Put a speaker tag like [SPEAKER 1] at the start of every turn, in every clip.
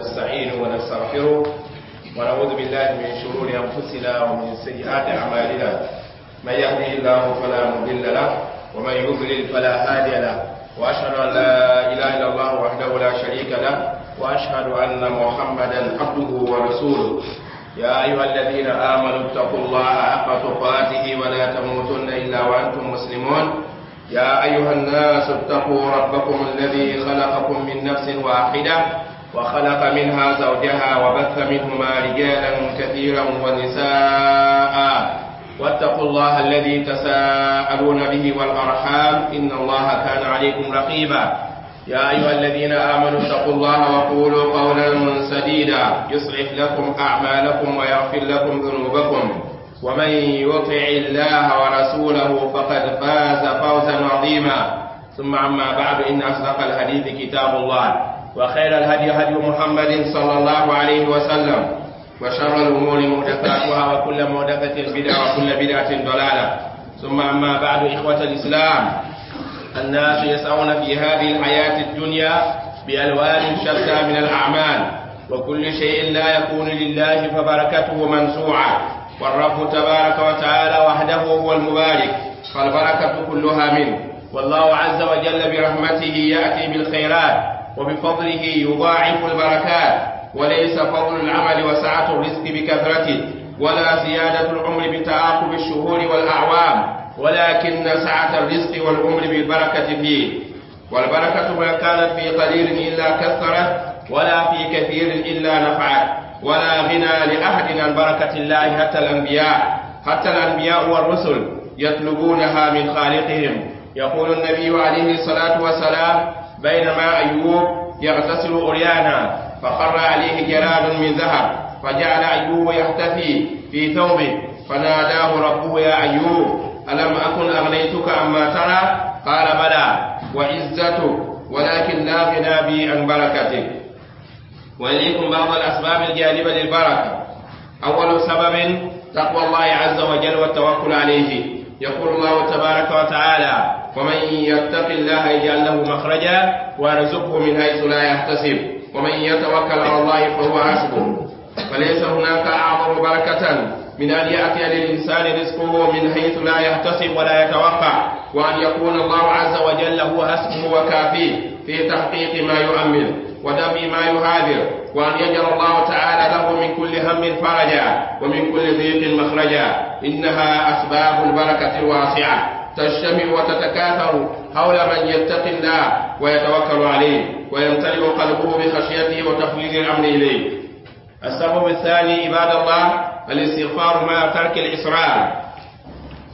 [SPEAKER 1] ونستعينه ونستغفره ونعوذ بالله من شرور أنفسنا ومن سيئات أعمالنا. من يهده الله فلا مضل له ومن يضلل فلا هادي له، وأشهد أن لا إله إلا الله وحده لا شريك له، وأشهد أن محمدا عبده ورسوله. يا أيها الذين آمنوا اتقوا الله حق تقاته ولا تموتن إلا وأنتم مسلمون. يا أيها الناس اتقوا ربكم الذي خلقكم من نفس واحدة وخلق منها زوجها وبث منهما رجالا كثيرا ونساء، واتقوا الله الذي تساءلون به والأرحام إن الله كان عليكم رقيبا. يا أيها الذين آمنوا اتقوا الله وقولوا قولا سديدا يصلح لكم أعمالكم ويغفر لكم ذنوبكم، ومن يطع الله ورسوله فقد فاز فوزا عظيما. ثم عما بعد، إن أصدق الحديث كتاب الله، وخير الهدي هدي محمد صلى الله عليه وسلم، وشر الأمور محدثاتها، وكل محدثة بدعة، وكل بدعة ضلالة. ثم أما بعد، إخوة الإسلام، الناس يسعون في هذه الحياة الدنيا بألوان شتى من الأعمال، وكل شيء لا يكون لله فبركته منزوعة، والرب تبارك وتعالى وحده هو المبارك، فالبركة كلها منه. والله عز وجل برحمته يأتي بالخيرات، وبفضله يضاعف البركات، وليس فضل العمل وسعة الرزق بكثرته، ولا زيادة العمر بتعاقب الشهور والأعوام، ولكن سعة الرزق والعمر بالبركة فيه. والبركة ما كانت في قليل إلا كثرت، ولا في كثير إلا نفعت، ولا غنى لأحد عن بركة الله، حتى الأنبياء والرسل يطلبونها من خالقهم. يقول النبي عليه الصلاة والسلام: بينما أيوب يغتسل عريانا فخر عليه جراد من ذهب، فجعل أيوب يختفي في ثوبه، فناداه ربه: يا أيوب، ألم أكن أغنيتك عما ترى؟ قال: بلى وعزتك، ولكن لا غنى بي عن بركتك. وإليكم بعض الأسباب الجالبة للبركة. أول سبب تقوى الله عز وجل والتوكل عليه. يقول الله تبارك وتعالى: ومن يتق الله يجعل له مخرجا ويرزقه من حيث لا يحتسب، ومن يتوكل على الله فهو حسبه. فليس هناك أعظم بركة من أن يأتي للإنسان رزقه من حيث لا يحتسب ولا يتوقع، وأن يكون الله عز وجل هو حسبه وكافيه في تحقيق ما يؤمل ودفع ما يهاجر، وأن يجعل الله تعالى له من كل هم فرجا ومن كل ضيق مخرجا. إنها أسباب البركة الواسعة تجتمع وتتكاثر حول من يتقي الله ويتوكل عليه ويمتلئ قلبه بخشيته وتفويض الأمر إليه. السبب الثاني عباد الله: الاستغفار مع ترك الإصرار.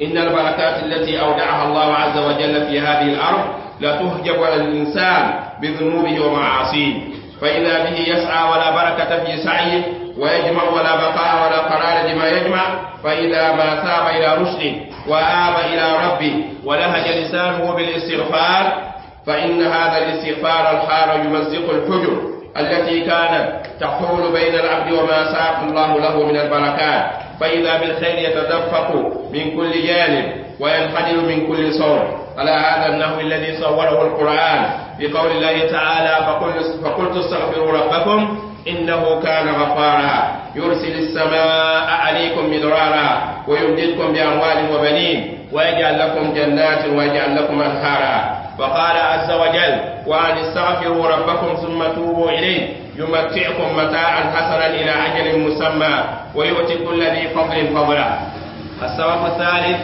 [SPEAKER 1] إن البركات التي أودعها الله عز وجل في هذه الأرض لا تهجب على الإنسان بذنوبه ومعاصيه، فإذا به يسعى ولا بركة في سعيه، ويجمع ولا بقاء ولا قرار لما يجمع، فإذا ما ثاب إلى رشده وآب إلى ربه ولهج لسانه بالاستغفار، فإن هذا الاستغفار الحار يمزق الحجر التي كانت تحول بين العبد وما ساق الله له من البركات، فإذا بالخير يتدفق من كل جانب وينحدر من كل صور، على هذا النحو الذي صوره القرآن في قول الله تعالى: فقلت استغفروا ربكم إنه كان غفارا يرسل السماء عليكم مدرارا ويمددكم بأموال وبنين ويجعل لكم جنات ويجعل لكم أنهارا. وقال عز وجل: وأن استغفروا ربكم ثم توبوا إليه يمتعكم متاعا حسنا إلى أجل مسمى ويؤتي كل ذي فضل فضله. السبب الثالث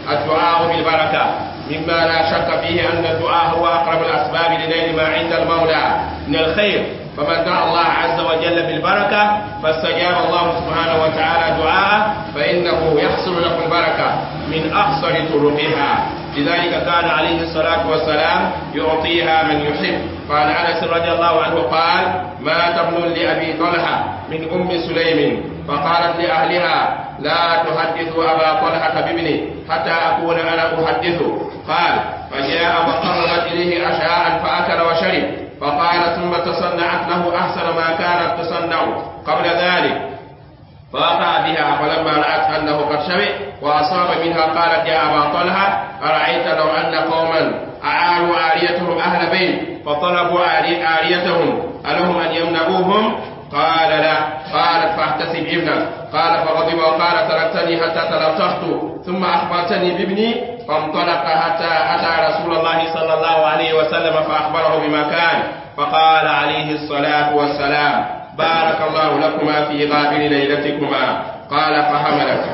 [SPEAKER 1] الدعاء بالبركة. مما لا شك فيه أن الدعاء هو أقرب الأسباب لنيل ما عند المولى من الخير، فمن دعا الله عز وجل بالبركة فاستجاب الله سبحانه وتعالى دعاءه، فإنه يحصل له البركة من أقصر طرقها. لذلك كان عليه الصلاة والسلام يعطيها من يحب. فعن أنس رضي الله عنه قال: مات ابن لأبي طلحة من أم سليم، فقالت لأهلها: لا تحدثوا أبا طلحة بابني حتى أكون أنا أحدثه. قال: فجاء وقربت إليه عشاء فأكل وشرب، فقال: ثم تصنعت له أحسن ما كانت تصنع قبل ذلك، فوقع بها، فلما رأت أنه قد شبع وأصاب منها قالت: يا أبا طلحة، أرأيت لو أن قوما أعاروا عاريتهم أهل بيت فطلبوا عاريتهم ألهم أن يمنعوهم؟ قال لا. قالت فاحتسب ابنك. قال فغضب وقال تركتني حتى تلطخت ثم أخبرتني بابني. فانطلق حتى أتى رسول الله صلى الله عليه وسلم فأخبره بما كان، فقال عليه الصلاة والسلام بارك الله لكما في غابر ليلتكما. قال فحملت.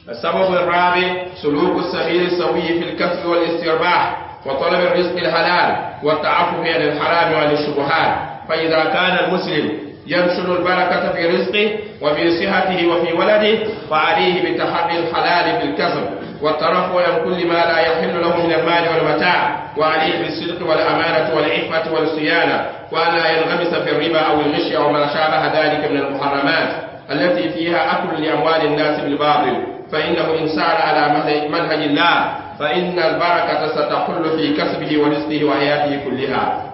[SPEAKER 1] السبب الرابع سلوك السبيل السوي في الكسب والاسترباح وطلب الرزق الحلال والتعفف عن الحرام وعن الشبهات. فإذا كان المسلم ينشر البركة في رزقه وفي صحته وفي ولده فعليه بتحري الحلال في الكسب والترفع عن كل ما لا يحل له من المال والمتاع، وعليه بالصدق والأمانة والعفة والصيانة، وأن لا ينغمس في الربا أو الغش أو ما شابه ذلك من المحرمات التي فيها أكل لأموال الناس بالباطل، فإنه إن سار على منهج الله فإن البركة ستحل في كسبه ورزقه وحياته كلها.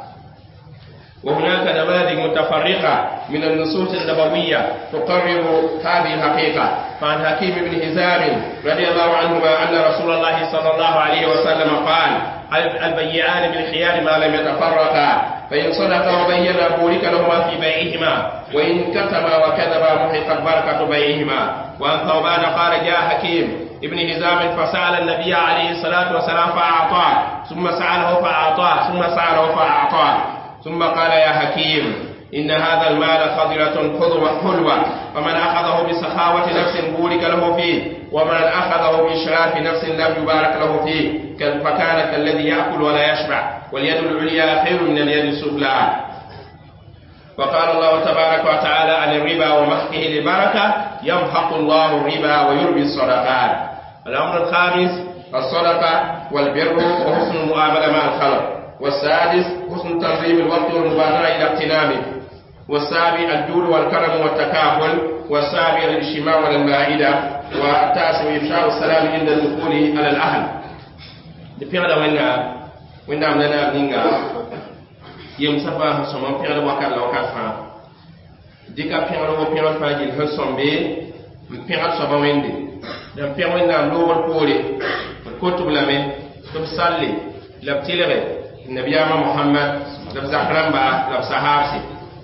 [SPEAKER 1] وهناك نماذج متفرقة من النصوص النبوية تقرر هذه الحقيقة. فعن حكيم بن هزام رضي الله عنهما أن رسول الله صلى الله عليه وسلم قال البيعان بالخيار ما لم يتفرقا، فإن صدقا وبينا بورك لهما في بيعهما، وإن كتما وكذبا محقت بركة بيعهما. وعن ثوبان قال جاء حكيم ابن هزام فسأل النبي عليه الصلاة والسلام فأعطاه، ثم سأله فأعطاه، ثم سأله فأعطاه، ثم قال يا حكيم إن هذا المال خضرة حلوة، فمن أخذه بسخاوة نفس بورك له فيه، ومن أخذه بإشراف نفس لم يبارك له فيه، فكان كالذي يأكل ولا يشبع، واليد العليا خير من اليد السفلى. وقال الله تبارك وتعالى عن الربا ومحقه للبركة يمحق الله الربا ويربي الصدقات. الأمر الخامس الصدقة والبر وحسن المعاملة مع الخلق. والسادس حسن تنظيم الوقت والمبادرة إلى اغتنامه. والسابع الجود والكرم والتكافل. والسابع الاجتماع على المائدة. والتاسع إفشاء السلام عند الدخول على الأهل. دبيغدا وين عملنا بنينغا يمسفا سمم بيغدا وكال لو كافا ديكا بيغدا وبيغدا فاجل هسوم بي بيغدا سبا ويندي دم بيغدا وين لوغ بوري كتب لامي تبسالي لابتيلغي النبي محمد لب زحرم با لب صحابسي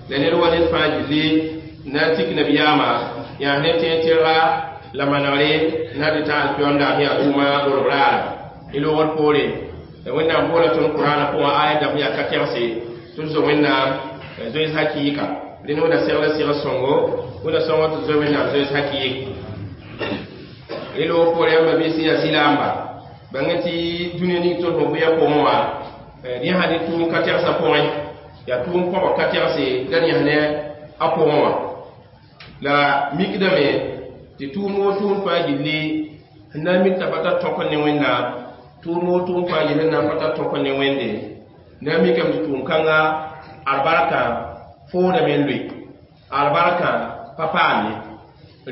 [SPEAKER 1] لأن الولد فاجلي ناتيك نبي ما يعني تيتيرا لما نري نادي تعال بيوندا هي دوما وربرا إلو وربوري وين نقول تون القرآن هو آية دم يا كتيرسي تنزو وين زويز حقيقة لأنه ده سيرة سيرة سونغو وده سونغو تنزو وين زويز حقيقة إلو وربوري أما بيسي يا سيلامبا بانتي دنيا نيتون هو بيا كوموا rẽ sã ne tʋʋm ka tɛgsã pʋgẽ yaa tʋʋm kõba ka tɛgse la rẽ ne a pʋgẽ wã la mikdame tɩ tʋʋm woo tʋʋm fãa gilli sẽn na n mik t'a pa tar tõk ne Wẽnnaam tʋʋm woo tʋʋm fãa gilli sẽn na n pa tar tõk ne Wẽnde na n mikame tɩ tʋʋm-kãnga albarkã foodame n loe albarkã pa paam ye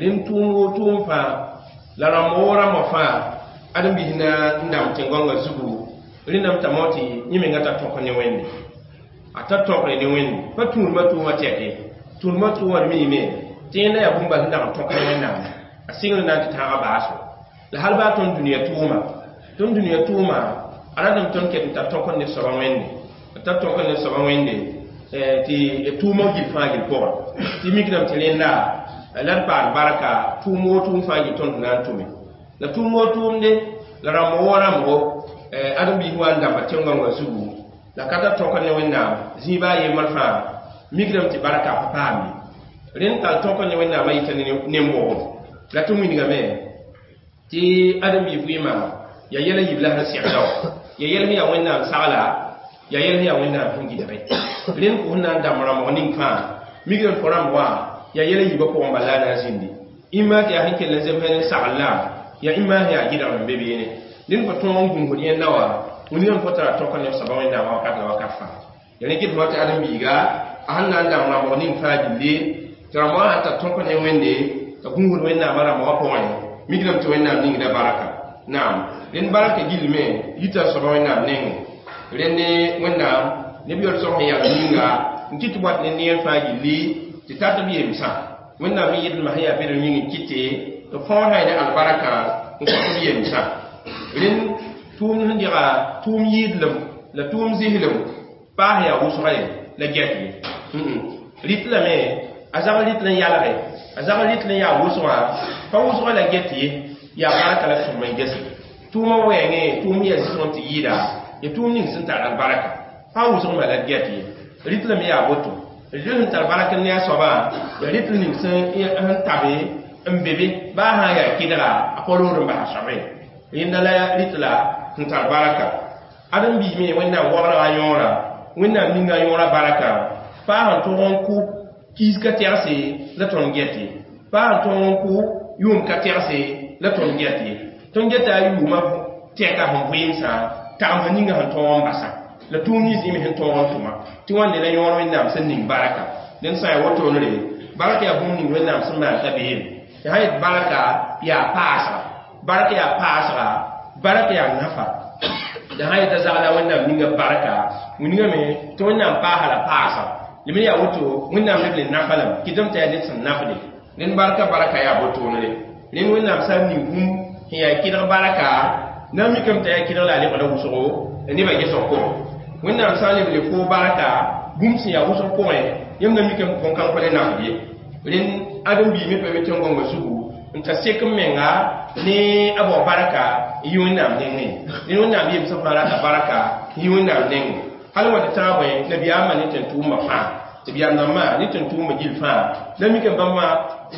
[SPEAKER 1] rẽnd tʋʋm woo tʋʋm fãa la rãmb woo rãmbã fãa ãdem-biis na n dãmb tẽn-gãngã zugu rẽndame t'a mao tɩ yẽ menga tar tõk ne Wẽnde a tar tõkre ne Wẽnde pa tũudmã tʋʋmã tɛke tũudmã tʋʋmã d miime tɩ yẽnda yaa bũmb bal sẽn dag n tõk ne Wẽnnaam a sɩngr na n tɩ tãaga baaso la hal baa tõnd dũniyã tʋʋma a ratame tõnd ket n tar tõk ne soaba Wẽnde a tar tõk ne soaba Wẽnde tɩ tʋʋmã gil fãa gil pʋgẽ tɩ mikdame tɩ rẽnda la d paam barka tʋʋm woo tʋʋm fãa gil tõnd na n tʋme la tʋʋm woo tʋʋmde la rãmb woo rãmbgo ãdem-biis wa n dãmba tẽn-gãngã zugu la ka tar tõk ne Wẽnnaam zĩiba a yembr fãa mikdame tɩ barka pa paam ye rẽnd tall tõk ne Wẽnnaam a yita ne-n-bʋgem la tɩ wilgame tɩ ãdem-biis vɩɩmã yaa yɛl n yib la sẽn segda wã yaa yɛl sẽn yaa Wẽnnaam sagla yaa yɛl sẽn yaa Wẽnnaam sẽn gɩdge rẽnd kʋ sẽn na n dãmb rãmbg ning fãa mikdame tɩ rãmb wã yaa yɛl n yiba pʋgẽ bala la na n zĩndi ĩmã tɩ yaa sẽn kell n zems ne sagl la yaa ĩmã sẽn yaa gɩdgr n be beene rẽnd fo tõog n gũusd yẽnda wã wilgame fo tara tõk ne soaba Wẽnnaam wakat la wakat fãa ya rẽ kɩt fo tɩ ãdem-biiga a sẽn na n dãmb rãmbg ning fãa gilli tɩ rãmb wã sãn tar tõk ne Wẽnde t'a gũusd Wẽnnaamã rãmbgã pʋgẽ mikdame tɩ Wẽnnaam ningda baraka naam rẽnd baraka gillme yita soaba Wẽnnaam nengẽ rẽnd ne Wẽnnaam neb yol sõs sẽn yaa ninga n kɩt tɩ wat ne neer fãa gilli tɩ tar tɩ b yemsã Wẽnnaam me yɩdlmã sẽn yaa bed yĩng n kɩte tɩ fõosã ne albarka n kõ tɩ b yemsã rẽnd tʋʋm sẽn dega tʋʋm yɩɩdlem la tʋʋm zislem paas yaa wʋsga ye la gɛt ye Rit lame a zag rit n yalge, a zag rit n yaa wʋsgã, pa wʋsgã la get ye, yaa barka la tʋm n gese. Tʋʋmã wɛɛngẽ, tʋʋm yaa zɩsg tɩ yɩɩda, ya tʋʋm ning sẽn tar albarka. Pa wʋsgmã la d get ye. Rit lame yaa woto. Rit sẽn tar bark ne a soabã, yaa rit ning sẽn tabe n be be, baa sã n yaa kɩdga, a pa rood n bas a soabe. Rẽnda la rit la sẽn tar baraka. Ãdem-biig me Wẽnnaam wagrã a yõora, Wẽnnaam ninga a yõora barka, paa sẽn tog n kʋ kiis ka tɛgse la tõnd get ye. Paa sẽn tog n kʋ yʋʋm ka tɛgse la tõnd get ye. Tõnd geta a yʋʋmã tɛka sẽn vɩɩmsã, tagem sẽn ninga sẽn tõog n basa. La tʋʋm nins yẽ me sẽn tõog n tʋma. Tɩ wãnde la yõor Wẽnnaam sẽn ning baraka. Dẽnd sã n yaa wotoonre, barka yaa bũmb ning Wẽnnaam sẽn maan t'a beem. Tɩ sã yet barka yaa paasga. Barka yaa paasga, barka yaa nafa. La sã n yeta zagla Wẽnnaam ninga barka, wilgame tɩ Wẽnnaam paasa la paasga. Lem yaa woto, Wẽnnaam leb le nafa lame, kɩtame t'a yaa ned sẽn nafde. Rẽnd barka barka yaa botoonre. Rẽnd Wẽnnaam sã n ning bũmb sẽn yaa kɩdg barka, na n mikame t'a yaa kɩdg la a lebgda wʋsgo, la nebã gesg pʋgẽ. Wẽnnaam sã n leb le foo barka, bũmb sẽn yaa wʋsg pʋgẽ, yãmb na mikame tɩ bõn-kãng pa le nafd ye. Rẽnd ãdem-biig me pa be tẽn-gõngã zugu n ta sek n menga ne a bao barka n yi Wẽnnaam nengẽ. Rẽnd Wẽnnaam yemsã fãa rata barka n yi Wẽnnaam nengẽ. Hal wa tɩ tãag bõe nabiyaamã ne tẽn-tʋʋmã fãa, tɩ b yam rãmbã ne tẽn-tʋʋmã gill fãa, la mikame bãmba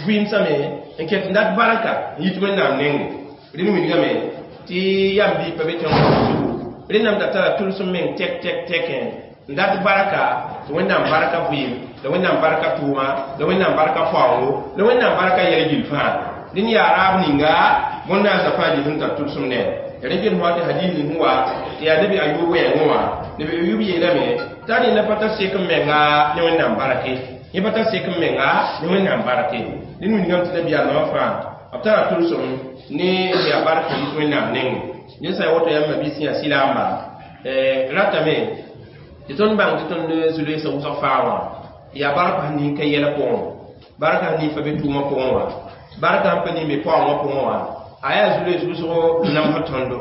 [SPEAKER 1] vɩɩmsame n ket n dat barka n yit Wẽnnaam nengẽ. Rẽnd wilgame tɩ yam biig pa be tẽn-gõngã zugu, rẽnnam da tara tʋlsem meng tɛk tɛk tɛkẽ n dat barka, tɩ Wẽnnaam barka vɩɩm, la Wẽnnaam barka tʋʋma, la Wẽnnaam barka faoongo, la Wẽnnaam barka yɛl gill fãa. Rẽnd yaa raab ninga bõn-naasã fãa gil sẽn tar tʋlsem ne. Rẽ get fõa tɩ hadis ning sẽn wa tɩ yaa nabi Ayub wɛɛngẽ wã. Nabi Ayub yeelame t'a rẽnda pa tar sek n menga ne Wẽnnaam barke. Yẽ pa tar sek n menga ne Wẽnnaam barke. Rẽnd wilgame tɩ nabiyaamã fãa b tara tʋlsem ne yaa bark yit Wẽnnaam nengẽ. Ned sã n woto yãmb mabiis yaa silaamba, ratame tɩ tõnd bãng tɩ tõnd zu-loeesã wʋsg faa wã yaa bark sẽn ning ka yɛla pʋgẽ, bark sẽn ning fa be tʋʋmã pʋgẽ wã, barka sẽn pa ning be paoongã pʋgẽ wã, a yaa zu-loees wʋsgo namsg tõndo.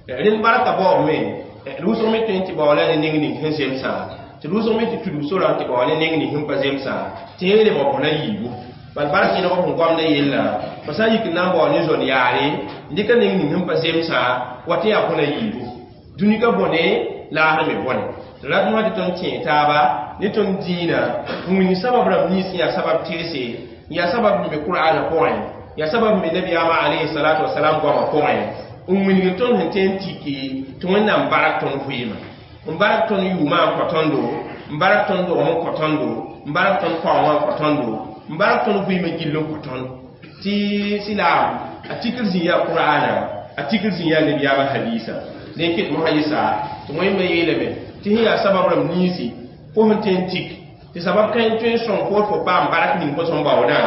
[SPEAKER 1] Rẽnd barka baood me, d wʋsg me tõe n tɩ baoola ne neng ning sẽn zemsã, tɩ d wʋsg me tɩ tudg sorã tɩ bao ne neng ning sẽn pa zemsã, tɩ yẽ lebg bõna yiibu. Bal bark yẽlg sẽn goamda yellã, fo sã n yik n na n bao ne zõn yaare, n dɩka neng ning sẽn pa zemsã, wa tɩ yaa bõna yiibu. Dũni ka bõne, laasr me bõne. Tɩ rat wã tɩ tõnd tẽe taaba ne tõnd dĩinã n wilg sabab rãmb nins sẽn yaa sabab tɩrse, n yaa sabab n be Kur'aanã pʋgẽ, yaa sabab n be nabiyaamã alayhi salatu wasalam goamã pʋgẽ, n wilg tõnd sẽn tõe n tiki tɩ Wẽnnaam barak tõnd vɩɩmã, n barak tõnd yʋʋmã n kõ tõndo, n barak tõnd dogem n kõ tõndo, n barak tõnd paoongã n kõ tõndo, n barak tõnd vɩɩmã gill n kõ tõnd. Tɩ silaam a tikr zĩ yaa Kur'aanã, a tikr zĩ yaa nabiyaamã hadiisã. Dẽn ket mosã yɩsa tɩ Wẽnnaam yeelame tɩ sẽn yaa sabab rãmb ninsi fo sẽn tõe n tik tɩ sabab kãe tõe n sõng fo tɩ fo paam bark ning fo sẽn baoodã,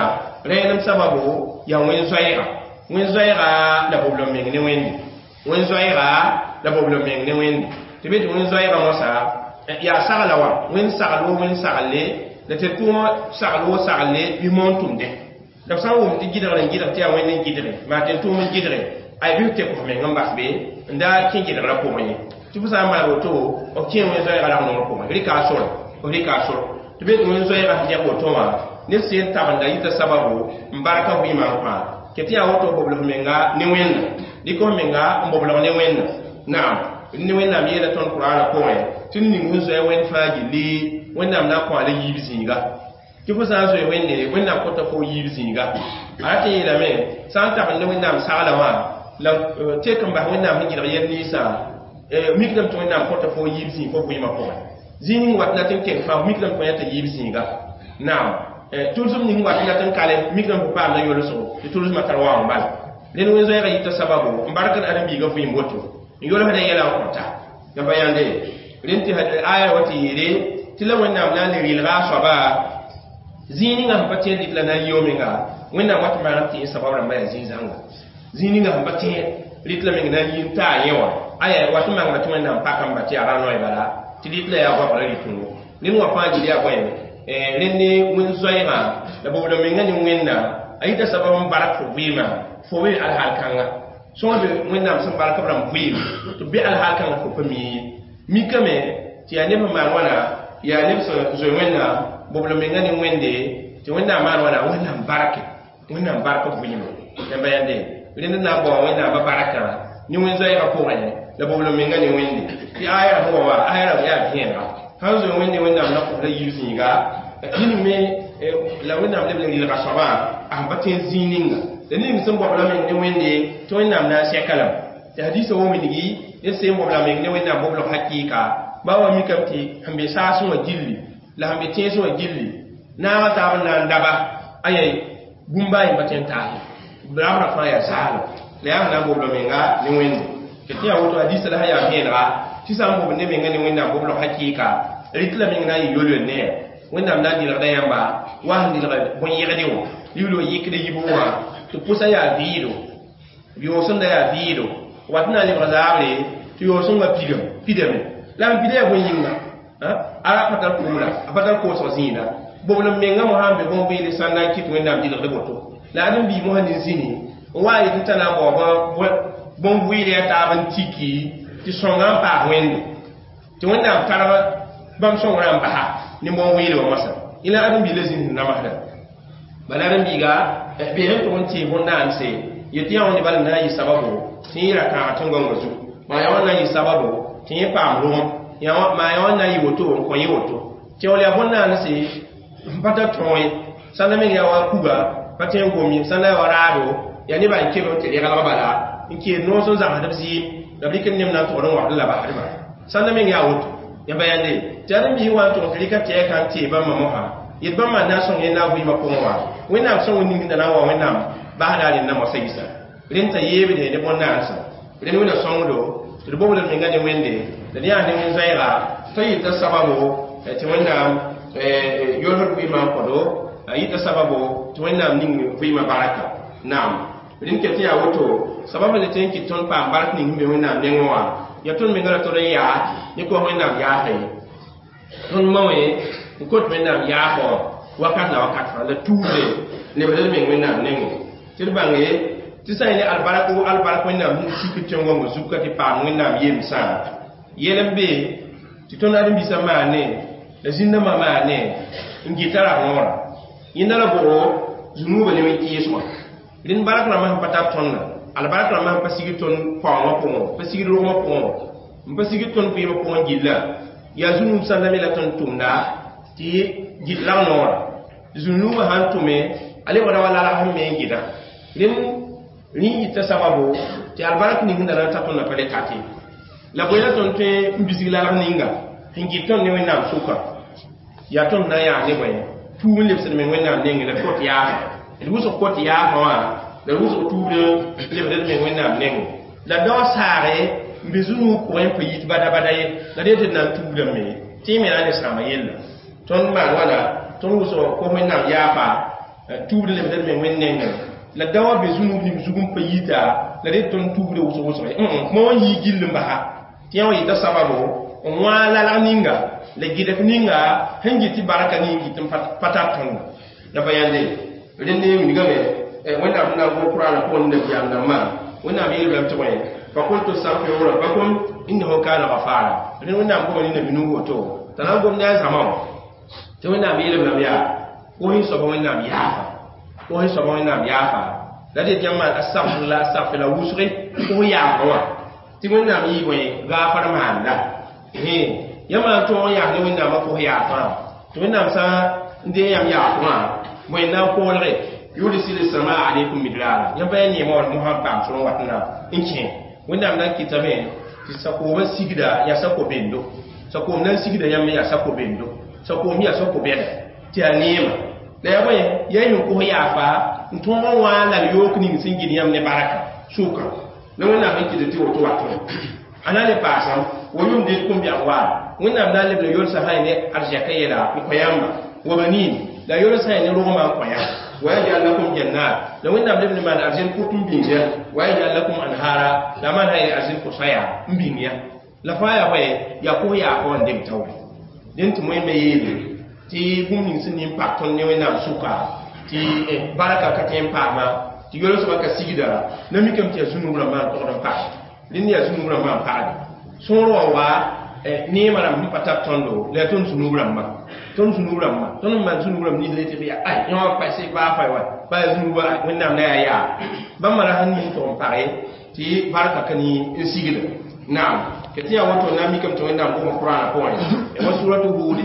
[SPEAKER 1] rẽenem sababo yaa wẽn-zoɛɛga. Wẽn-zoɛɛga la bobl meng ne Wẽnde. Wẽn-zoɛɛga la bobl meng ne Wẽnde. Tɩ be tɩ wẽn-zoɛɛga mosã yaa sagla wã, wẽn sagl wo wẽn saglle, la tɩ tʋʋmã sagl wo saglle bɩ moon tʋmdẽ. La b sã n wʋm tɩ gɩdgr n gɩdg tɩ yaa Wẽnd n gɩdge, maa tɩ n tʋʋm n gɩdge, ay bɩ f tek f meng n bas be n da kẽ gɩdgrã pʋgẽ ye. Tɩ fo sã n maan woto, f kẽ wẽn-zoɛɛga rag-nongr pʋgẽ, rɩka a sore, f rɩka a sore. Tɩ be tɩ wẽn-zoɛɛga sẽn dẽg woto wã, ned sẽn tabenda yita sababu n barka vɩɩmã n kõ. Ket tɩ yaa woto bobl f menga ne Wẽnna, dɩk f menga n boblg ne Wẽnna. Naam, ne Wẽnnaam yeela tõnd Kur'aanã pʋgẽ tɩ ning sẽn zoe Wẽnd fãa gilli, Wẽnnaam na n kõ a la yiib zĩiga. Tɩ fo sã n zoe Wẽnde, Wẽnnaam kõta fo yiib zĩiga. A rat n yeelame, sã n tabend ne Wẽnnaam sagla wã, la tek n bas Wẽnnaam sẽn gɩdg yɛl ninsã, mikdame tɩ Wẽnnaam kõta fo yiib zĩig fo vɩɩmã pʋgẽ. Zĩig ning wat la tɩ n keng fãa, mikdame tɩ fo yãta yiib zĩiga. Naam, tʋlsem ning wat la tɩ n kale, mikdame fo paamda yolsgo, tɩ tʋlsmã tar waoong bala. Rẽnd wẽn-zoɛɛgã yita sababu n barkd ãdem-biigã vɩɩm woto, n yolsda yɛla n kõta. La pa yãnde, rẽnd tɩ aya wa tɩ yeele tɩ la Wẽnnaam na n le rɩlga a soaba zĩig ninga sẽn pa tẽed rit la na n yɩ menga, Wẽnnaam wat n maagd tɩ yẽ sabab rãmbã yaa zĩig-zãnga. Zĩig ninga sẽn pa tẽed rit la meng na n yi n taa yẽ wã, aya wat n mangda tɩ Wẽnnaam pakame tɩ yaa ra-noy bala, tɩ rit la yaa goabgrã rɩtʋngo. Rẽnd wã fãa gil yaa bõe, rẽnd ne wẽn-zoɛɛgã la bobl menga ne Wẽnna, a yita sabab n bark fo vɩɩmã, fo be alhaal kãnga. Sõa be Wẽnnaam sẽn bark b rãmb vɩɩm tɩ b be alhaal kãngã fo pa mi ye. Mikame tɩ yaa neb sẽn maan wãna, yaa neb sẽn zoe Wẽnnaam Bobl menga ne wẽnde tɩ Wẽnnaam maan wãna Wẽnnaam barke, Wẽnnaam bark vɩɩme. Yãmba yãnde rẽnd na n bao Wẽnnaamã barakã ne wẽn-zoɛɛgã pʋgẽ la bobl menga ne wẽnde tɩ aya sẽn wa wã aya rãmb yaa vẽenega sãn zoe Wẽnde Wẽnnaam na kos la yib zĩiga ning me la Wẽnnaam leb n rɩlga soabã a sẽn pa tõe n zĩig ninga la ning sẽn bobla meng ne Wẽnde tɩ Wẽnnaam na n sɛka lame tɩ hadiisã wa wilgi ned sẽn bobla meng ne Wẽnnaam boblg hakɩɩka ba wa mikame tɩ sẽn be saasẽ wã gilli la sẽn be tẽesẽ wã gilli naagã taab n na n daba aya bũmba a yẽmba tõe n taas rabra fãa yaa zaalem la yaa sẽn na n bobl menga ne Wẽnde tɩ yaa woto hadiisã la sã yaa vẽenega tɩ sã n bobl ne menga ne Wẽnnaam boblg hakɩɩka rɩt la meng na n yɩ yol-yol ne ya Wẽnnaam na n dɩlgda yãmba wa sẽn dɩlg bõn-yegde wã libl yɩkd yibu wã tɩ pʋsã yaa vɩɩdo yoosẽnda yaa vɩɩdo wat na n lebg zaabre tɩ yoosẽngã pigame pidame la n pida yaa bõe yĩnga ara pa tar kugla a pa tar koosg zĩida bobl n menga mosã n be bõn-vɩɩl sã n na n kɩt Wẽnnaam dɩlgd woto la ad n bii mosã ne zĩni n wa yetɩ t'a na n bao bõn-vɩɩl yaa taab n tiki tɩ sõnga n paas Wẽnde tɩ Wẽnnaam targ bãmb sõngrã n basa ne bõn-vɩɩl wã moasã ila ad n bii la zĩnd sẽn namsda bala ad n biiga bee sẽn tʋg n tẽe bõn-naanse yetɩ yã wãnde bala n na n yɩ sababo tɩ yẽ ra kãag tẽn-gõngã zugu maa yã wã na n yɩ sababo tɩ yẽ paam rogem maa yã wã na n yɩ woto n kõ yẽ woto tɩ wall yaa bõn-naanse n pa tar tõog ye sãnda meng yaa wa kuga pa tõe n gom ye sãnda yaa wa raado yaa nebã n keb tɩ reglg bala n keed noos n zãgsd b zɩɩm la b rɩk n nem na n togd n wagd la basdba sãnda meng yaa woto yãmba yãnde tɩ ad n biis wa n tʋg tɩ rɩka tɛɛka n tee bãmba mosã yet bãmba na n sõng yẽ na a vɩɩmã pʋgẽ wã Wẽnnaam sõng ning da na n wa Wẽnnaam basda rẽnda moasã yisa rẽnd t'a yeebde ne bõn-naansã rẽnd wẽnna sõngdo tɩ d bobl menga ne Wẽnde la d yaa ne wẽn-zoɛɛga t'a yɩta sababo tɩ Wẽnnaam yolsd vɩɩmã n kõdo a yɩta sababo tɩ Wẽnnaam ning vɩɩmã baraka naam rẽnd ket yaa woto sabab la tɩ n kɩt tõnd paam bark ning sẽn be Wẽnnaam nengẽ wã yaa tõnd menga la tõd n yaa ne kos Wẽnnaam yaasa ye tõnd maoẽ n kot Wẽnnaam yaafɔ wakat la wakat fãa la tuubde lebd d meng Wẽnnaam nengẽ tɩ d bãnge tɩ sã n ne albark wo albark Wẽnnaam sẽn sik tẽn-gõngã zug ka tɩ paam Wẽnnaam yemsã yɛl n be tɩ tõnd ãdem-biisã maane la zĩndãmbã maane n gɩta ra-võora yẽnda la bʋgo zũnuubã ne wẽn-kɩɩsgã rẽnd bark rãmbã sẽn pa tar tõndã albark rãmbã sẽn pa sigd tõnd paoongã pʋgẽ pa sigd rogmã pʋgẽ n pa sigd tõnd vɩɩmã pʋgẽ gilla yaa zũnuub sãnda me la tõnd tʋmda tɩ gɩt lag noora zũnuubã sãn tʋme a lebgda wa lalg sẽn me n gɩda rẽnd rẽ yita sababo tɩ albark ning sẽn da na n ta tõndã pa le tate la bõe la tõnd tõe n bisg lalg ninga sẽn gɩt tõnd ne Wẽnnaam sʋka yaa tõnd na n yaa ne bõe tuub n lebsd meng Wẽnnaam nengẽ la kot yaafã d wʋsg kot yaafã wã la d wʋsg tuubd lebd d meng Wẽnnaam nengẽ la dao saage n be zũnuug pʋgẽ n pa yit bada bada ye la d yetɩ d na n tuubdame tɩ y me na n le sãama yella tõnd maan wãna tõnd wʋsg kos Wẽnnaam yaafa tuubd lebd d meng Wẽnd nengẽ la dao be zũnuug ning zug n pa yita la d yet tõnd tuubda wʋsg wʋsg ma wã yii gill n basa tɩ yã wã yɩta sababo n wã lalg ninga la gɩdf ninga sẽn gɩt tɩ barka ning gɩt n pa tar tõnda la pa yãnde rẽnd wilgame Wẽnnaam sẽn na n gom Kʋraanã pʋgẽ nabiyaam dãmbã Wẽnnaam yeelame lame tɩ bõe faqultu astaghfiru rabbakum innahu kana ghafara rẽnd Wẽnnaam goma ne nabi Nuh woto t'a na n gom ne a zãma wã tɩ Wẽnnaam yeelame lame yaa kos soaba Wẽnnaam yaafa kos soaba Wẽnnaam yaafa la d yet yãmb maan astaghfirullah astaghfirullah wʋsge kos yaafa wã tɩ Wẽnnaam yɩ bõe gaafar maanda yãmb n tõog n yaas ne Wẽnnaamã kos yaafã tɩ Wẽnnaam sã n dee yãmb yaaf wã bõe n na n koolge yursil samaa alaykum midrara yãmb pa yaa neemã wã mosã n paam sor n wat na n kẽ Wẽnnaam na n kɩtame tɩ sakoomã sigda yaa sako-bendo sakoom na n sigda yãmb yaa sako-bendo sakoom yaa sako-bɛda tɩ yaa neema la yaa bõe yaa yẽ kos yaafa n tõog n wã lal yook ning sẽn gɩd yãmb ne baraka sʋka la Wẽnnaam sẽn kɩt tɩ woto watẽ a na n le paasam wa yumdidkum bi amwal Wẽnnaam na n lebl yolsã sã ne arzɛka yɛla n kõ yãmba wa banin la yolsã ne rogmã n kõ yãmb wa yajal lakum jannat la Wẽnnaam lebl n maan arzẽn kʋt n bĩng ya wa yajal lakum anhara la maan sã arzẽn kʋsã n bĩng ya la fãa yaa bõe yaa kos yaafã wã n deng taoore dẽn tɩ moẽmba yeele tɩ bũmb ning sẽn nin pak tõnd ne Wẽnnaam sʋka tɩ barka ka tõe n paama tɩ yolsmã ka sigda na mikame tɩ yaa zũnug rãmbã n togd n paas rẽnd yaa zũnug rãmbã n pagde sõor wã wa Neemã rãmb sẽn pa tar tõndo la yaa tõnd sũ-nuub rãmbã tõnd sũ-nuub rãmbã tõnd n maan sũ-nuub rãmb nins le tɩ yaa ay yõ pa sɩ baa fa wa ba yaa sũ-nuubã Wẽnnaam la yaa yaa bãmba ra sẽn ning tʋg n page tɩ barka ka ni n sigda naam tɩ yaa woto na n mikame tɩ Wẽnnaam gom Qur'aanã pʋgẽ wa suratu Huud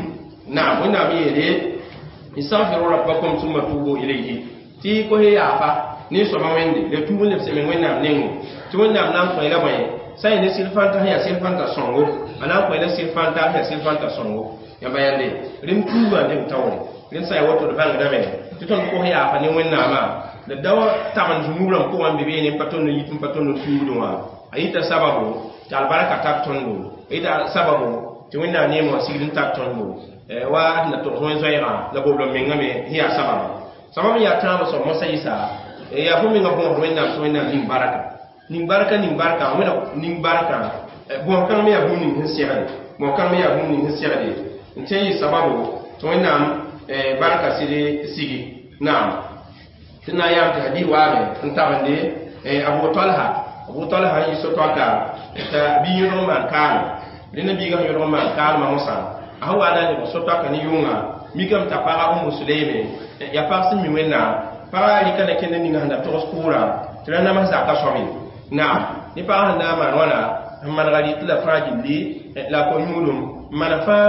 [SPEAKER 1] naam Wẽnnaam yeele istaghfiru rabbakum thumma tubu ilayhi tɩ kos yaafa ne soaba Wẽnde la tuub n lebs meng Wẽnnaam nengẽ tɩ Wẽnnaam na n kõ la bõe sã n ne sɩd fãnta sẽn yaa sɩd fãnta sõngo a na n kõ la sɩd fãnta sẽn yaa sɩd fãnta sõngo yãmba yãnde rẽnd tuubã n taoore rẽnd sã n yaa woto d bãngdame tɩ tõnd kos yaafa ne Wẽnnaamã la da wa tagend zũnub rãmb pʋgã n be beene n pa tõnd n yit n pa tõnd n tuubdẽ wã a yita sababu tɩ albarka tar tõndo a yita sababu tɩ Wẽnnaam neemã wã sigd n tar tõndo wa d na togs wẽn-zoɛɛgã la boblem mengame sẽn yaa sababa sabab n yaa tãabã soab mosã yɩsa yaa fo menga bõosd Wẽnnaam tɩ Wẽnnaam ning barka ning barka ning barka wẽna ning barka bõos kãng me yaa bũmb ning sẽn segde bõos kãng me yaa bũmb ning sẽn segde n tẽ yɩ sababu tɩ Wẽnnaam barka sɩd sigi naam tɩ na n yaam tɩ hadis waame n tabende Abu Talha Abu Talha n yɩ so-toaka t'a bi yõdg n maan kaalem rẽnda biigã sẽn yõdg n maan kaalmã mosã a sẽn wa na n lebg so-toaka ne yʋnga mikame t'a paga Umu Suleyme yaa pag sẽn mi Wẽnnaam pagã rɩka na kẽnd ninga sẽn da togs kʋʋrã tɩ ra nams zaka soab ye naam ne pagã sẽn na n maan wãna n manega rɩt la fãa gilli la a ko-yũudum n maan fãa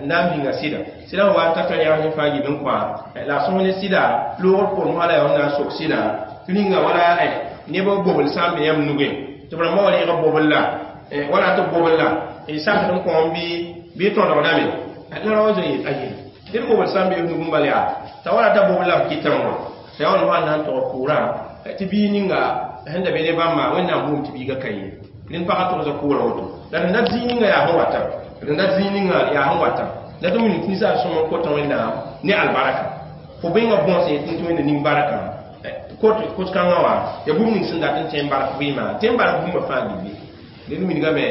[SPEAKER 1] na n bĩnga sɩda sɩda sẽn wa n ta t'a yãgs ne fãa gil n kõ la a sõs ne sɩda loogr pʋgẽ wala yaa na n sok sɩda tɩ ninga wala neb bobl sã n be yãmb nugẽ tɩ b rãmbã wa reeg bobl la wala tɩ bobl la sakd n kõom bɩ tõdgdame la ra wa zoe aye ned bobl sã n be nug n bal yaa t'a wala t'a bobl la b kɩtame wã t'a yaa wa na n tog kʋʋrã tɩ bii ninga sẽn da be ne bãmba Wẽnnaam boom tɩ biiga ka ye rẽnd pagã togsa kʋʋrã woto la d dat zĩig ninga yaa sẽn wata d dat zĩig ninga yaa sẽn wata la tɩ wilg tɩ ninsaal sõm n kota Wẽnnaam ne albarka fo bẽnga bõos yetɩ tɩ Wẽnda ning barka kos-kãngã wã yaa bũmb ning sẽn dat n tẽ n bark vɩɩmã tẽ n bark bũmba fãa gilli rẽnd wilgame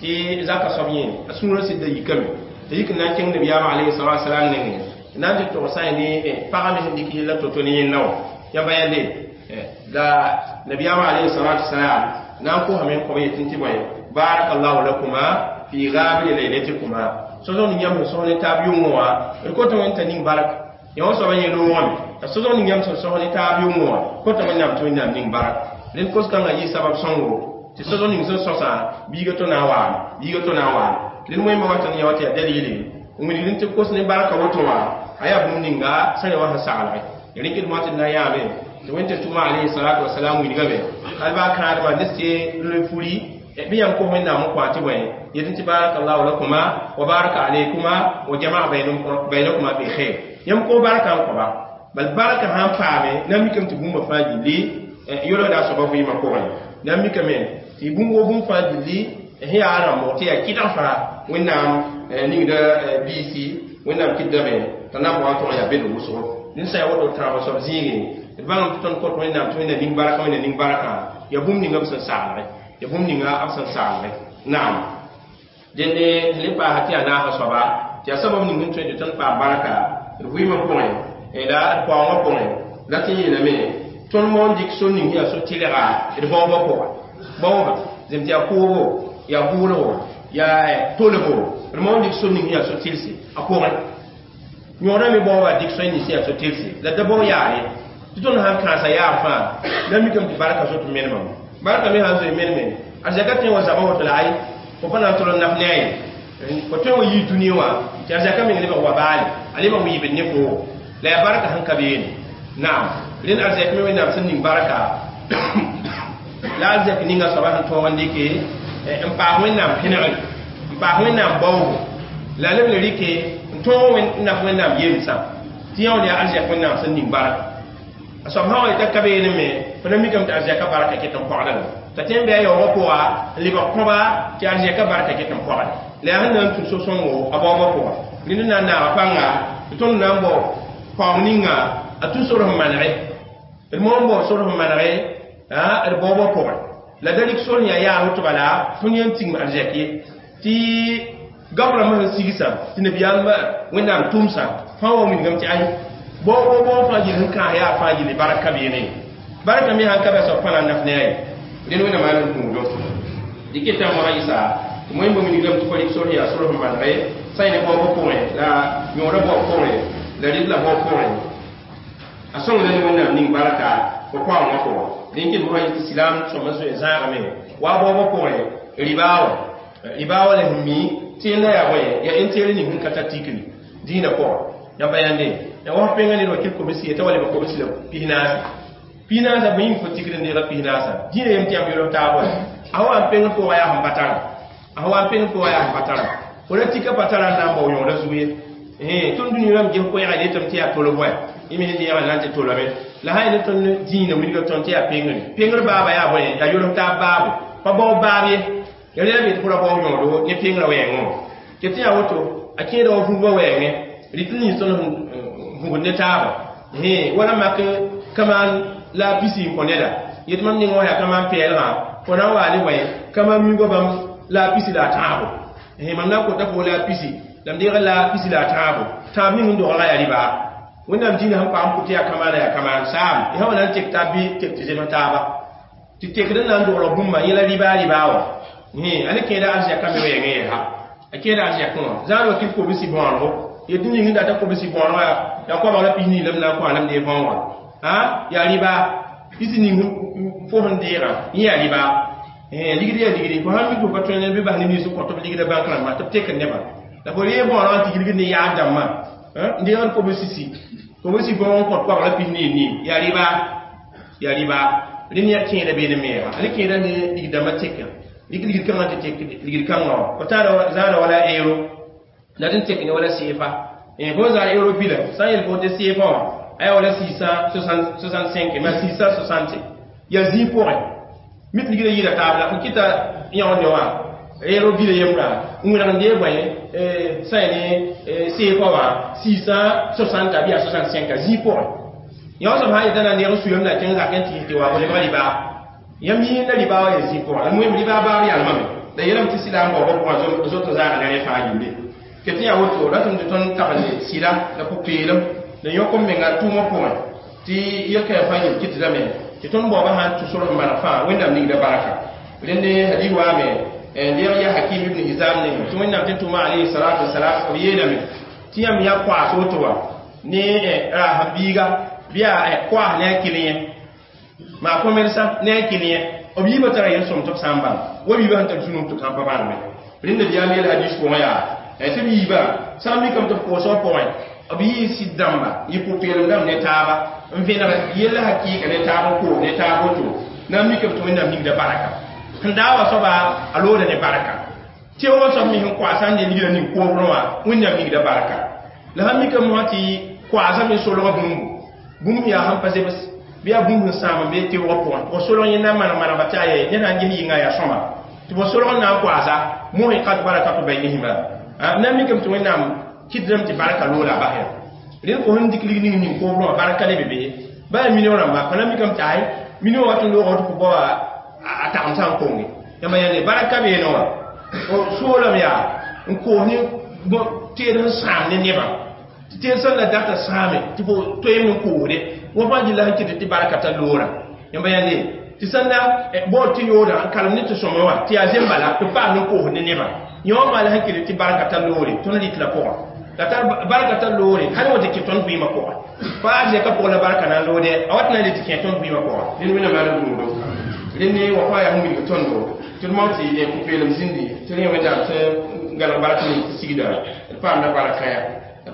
[SPEAKER 1] tɩ zaka soab yẽ a sũurã sɩd da yikame t'a yik n na n kẽng nabiyaamã alayhi salatu wasalam nengẽ na n tɩ togsã ne pagã me sẽn dɩk yella to-to ne yẽnda wã yãmba yãnde la nabiyaamã alayhi salatu wasalam na n kosame n kõb yetɩ tɩ bõe barakallahu lakuma fi gabri laylatikuma sosg ning yãmb sẽn sõs ne taab yʋngẽ wã d kota Wẽnd t'a ning barka yã wã soabã yẽ loogame t'a sosg ning yãmb sẽn sõs ne taab yʋngẽ wã kota Wẽnnaam tɩ Wẽnnaam ning barka rẽnd kos-kãngã yɩ sabab sõngo tɩ sosg ning sẽn sõsã biiga to na n waame biiga to na n waame rẽnd wẽmba wata ne yã wa tɩ yaa dalile n wilgd tɩ kos ne barka woto wã a yaa bũmb ninga sã ne wã sẽn saglge rɩkd moa tɩ d na n yaame tɩ Wẽnd tɩ tʋma alayhi salatu wasalam wilgame al baa kãadmã ne se le furi bɩ yãmb kos Wẽnnaam n kõ tɩ bõe yetɩ tɩ barakallahu lakuma wa baraka alaykuma wa jamaa baynakuma fi khair yãmb kos barka n kõba bal barka sãn paame na n mikame tɩ bũmba fãa gilli yolgda a soaba vɩɩmã pʋgẽ na n mikame tɩ bũmb wo bũmb fãa gilli sẽn yaa rãmbg tɩ yaa kɩdg fãa Wẽnnaam ningda biisi Wẽnnaam kɩtdame t'a na n bao n tʋg yaa bed wʋsgo rẽnd sã n yaa woto tãabã soab zĩigẽ d bãngame tɩ tõnd kõt Wẽnnaam tɩ Wẽnna ning barka Wẽnna ning barkã yaa bũmb ninga b sẽn saglge yaa bũmb ninga b sẽn saglge naam dẽnde le paasa tɩ yaa naasã soaba tɩ yaa sabab ning n tõe tɩ tõnd paam barka d vɩɩmã pʋgẽ la d paoongã pʋgẽ la tɩ yeelame tõnd moon dɩk so ning yaa so tɩlga d baoobã pʋga baoobã zem tɩ yaa kʋʋbo yaa bʋʋlgo yaa tolgo d moon dɩk so ning yaa so tɩlse a pʋgẽ yõoda me baoobã dɩk soe nins yaa so tɩlse la da bao yaare tɩ tõnd sãn kãasa yaar fãa la mikame tɩ barka zoet menemame barka me sãn zoe meneme a zɛka tõe wa zaba woto la ay fo pa na n tol n naf ne a ye fo tõe wa yii dũni wã tɩ a zɛka meng lebg wa baale a lebg wiibd ne foo la yaa barka sẽn ka beene naam rẽnd arzɛk me Wẽnnaam sẽn ning barka la arzɛk ninga soaba sẽn tõog n dɩke n paas Wẽnnaam pẽnegre n paas Wẽnnaam baoogo la leb le rɩke n tõog n naf Wẽnnaam yemsã tɩ yã wã yaa arzɛk Wẽnnaam sẽn ning barka a soab sã wa yeta ka beene me fo na mikame tɩ arzɛka barka ket n pɔgdame t'a tõe n bɩ a yaoogã pʋga n lebg kõba tɩ arzɛka barka ket n pɔgde la yaa sẽn na n tũ so-sõngo a baoobã pʋga rẽnd na n naaga pãnga tɩ tõnd na n bao paoong ninga a tũ sor sẽn manege d moon bao sor sẽn manege d baoobã pʋgẽ la da rɩk sor yaa yaas woto bala tõnd yẽn tigim arzɛk ye tɩ gab rãmbã sẽn sigsã tɩ nabiyaam Wẽnnaam tʋmsã fãa wa wilgame tɩ ay bao bao fãa gill sẽn kãas yaa fãa gilli bark ka beene barka me sãn ka bɛ soab fãa na n naf ne a ye rẽnd Wẽnnaam maan n kũudo dɩk tã mosã yɩsa Tɩ moẽ bũmb ningrame tɩ fo rɩk sor yaa sor sẽn maneg ye sã yẽ ne baoobã pʋgẽ la yõodã baoob pʋgẽ la rɩdlã baoob pʋgẽ a sõngda ne Wẽnnaam ning barka fo koaoongã pʋgẽ dẽn kɩt mosã yetɩ silaam sõma zoe zãagame wa baoobã pʋgẽ ribaa wã ribaa wã la sẽn mi tɩ yẽnda yaa bõe yaa intérêt ning sẽn ka tar tikri dĩinã pʋgẽ yãmba yãnde ya wa pẽnga ned wa kɩt kobsi ye t'a wa lebg kobsi la pisnaase pisnaasã bõe yĩng fo tikr n deega pisnaasã dĩinã yem tɩ yãmb yolg taab wa a wa n pẽng pʋgã yaa sẽn pa tara a wa n pẽng pʋgã yaa sẽn pa tara fo ra tika pa tara n na n bao yõoda zug ye tõnd dũni rãmb ges koɛɛga letame tɩ yaa tolb wa yẽ me sẽn deegã na n tɩ tolame la sã ne tõnd dĩinã wilga tõnd tɩ yaa pengre pengr baaba yaa bõe yaa yolg taab baabo pa bao baab ye ya rẽla be tɩ fo ra bao yõodo ne pengrã wɛɛngẽ wã tɩ tɩ yaa woto a kẽeda wa vũubã wɛɛngẽ rɩt n nins tõnd sẽn vũgd ne taaba wala mak kamaan la pisi n kõ neda yet mam nengã wã yaa kamaan pɛɛlgã fo na n waa ne bõe kamaan migã bãmb la pisi la a tãabo mam na n kota fo la pisi la m deega la pisi la a tãabo tãab ning n doglga yaa rɩba Wẽnnaam dĩinã sẽn paam pʋ tɩ yaa kamaana yaa kamaan saam y sã wa na n tek taab bɩ tek tɩ zems taaba tɩ tekd n na n dogl bũmba yẽla rɩba rɩba wã a ne kẽeda arzɛkã me wɛɛngẽ yɛsa a kẽeda arzɛkẽ wã zãad wa kɩt kobsi bõonego yetɩ ning n data kobsi bõonego yaa koabg la pis nii la m na n kõ a la m dee võogã yaa rɩba pisi ning fo sẽn deegã yẽ yaa rɩba ligd yaa ligdi fo sãn mik fo pa tõe ne bɩ bas ne nins n kõ tɩ b ligda bãnk rãmbã tɩ b tekd nebã la fo ree bõonegã n tɩ gilgd ne yaab dãmbã n deegd kobsi kobsi bõog n kõt koabg la pis nii nii yaa rɩba yaa rɩba rẽnd yaa kẽeda beene me yaa ale kẽeda ne ligd-dãmbã teka rig ligd kãngã tɩ tek ligd kãngã wã fo taara zaara wala euro la d n tek ne wala seefa fo zaar euro bila sã n yel fo tɩ seefa wã a yaa wala 665 ma 660 yaa zĩig pʋgẽ mit ligda yɩɩda taab la fo kɩta yãonde wã euro bila yembra n wẽneg n dee bõe sã ne seefa wã 660 bɩ yaa 65 a zĩig pʋgẽ yã soab sã n yetã na n deeg n suyam la kẽng zakẽ tɩ tɩ wa fo lebga rɩba yãmb yĩnda rɩba wã yaa zĩig pʋgẽ la moem rɩba baab yalmame la yeelame tɩ silaam baoobã pʋgã zot n zaaga ne rẽ fãa yĩmbe ke tɩ yaa woto ratame tɩ tõnd tagende sɩda la pʋ-peelem la yõk n menga tʋʋmã pʋgẽ tɩ yel-kãensã fãa yĩm kɩtdame tɩ tõnd baoobã sã n tũ sor n maneg fãa Wẽnnaam ningda baraka rẽnd hadis waame n deeg yaa Hakim ibn Hizam nengẽ tɩ Wẽnnaam tɩ tʋma alayhi salatu wasalam b yeelame tɩ yãmb yaa koaas woto wã ne raasã biiga bɩ yaa koaas ne a kɩl yẽ maa commerçant ne a kɩl yẽ b yiibã tara yel-sõm tɩ b sã n bãng wa biibã sẽn tar zũnug tɩ kãn pa bãneme rẽnda bɩ yaa yel hadis pʋgẽ yaa tɩ b yiibã sã n mikame tɩ b koosgã pʋgẽ b yɩ sɩd dãmba yɩ pʋ-peelem dãmb ne taaba n vẽneg yella hakɩɩka ne taab n koos ne taab woto na n mikame tɩ Wẽnnaam ningda baraka sẽn daa wa soaba a looda ne baraka teoogã soab me sẽn koa sã n dee ligda ning koobrẽ wã Wẽnnaam ningda baraka la sãn mikame wã tɩ koaasã me solga bũmbu bũmb yaa sẽn pa zems bɩ yaa bũmb sẽn sãam n be teoogã pʋgẽ tɩ fo solg yẽ na n maneg manegba tɩ aye ned sã n ges yɩnga yaa sõma tɩ fo solg n na n koaasa muhiqat barakatu baynihima na n mikame tɩ Wẽnnaam kɩtdame tɩ barka loola a bas ya rẽnd fo sẽn dɩk lig ning ning koobrẽ wã barka le be be ba yaa million rãmba fo na n mikame tɩ ay million wat n looga tɩ fo baoa a tagem sã n konge yãmba yãnde barka beene wã soolame yaa n koos ne teed sẽn sãam ne nebã tɩ teed sẽn la data sãame tɩ fo toeem n koosde wã fãa gilla sẽn kɩt tɩ barka ta loora yãmba yãnde tɩ sẽn la baood tɩ yooda n kalem ne tɩ sõma wã tɩ yaa zem bala tɩ paam n koosd ne nebã yã wã fãa la sẽn kɩt tɩ barka ta loore tõnd rɩt la pʋgã la tar barka ta loore hal wa tɩ kẽ tõnd vɩɩmã pʋgã fa arzɛka pʋgã la barka na n loode a wat na n le tɩ kẽ tõnd vɩɩmã pʋgã rẽnd Wẽnnaam yaa rũudo rẽnd wa fãa yaa sẽn wilg tõndo tɩ d mao tɩ pʋ-peelem zĩndi tɩ rẽ Wẽnnaam tɩ galg bark ning tɩ sigda d paamda barka ya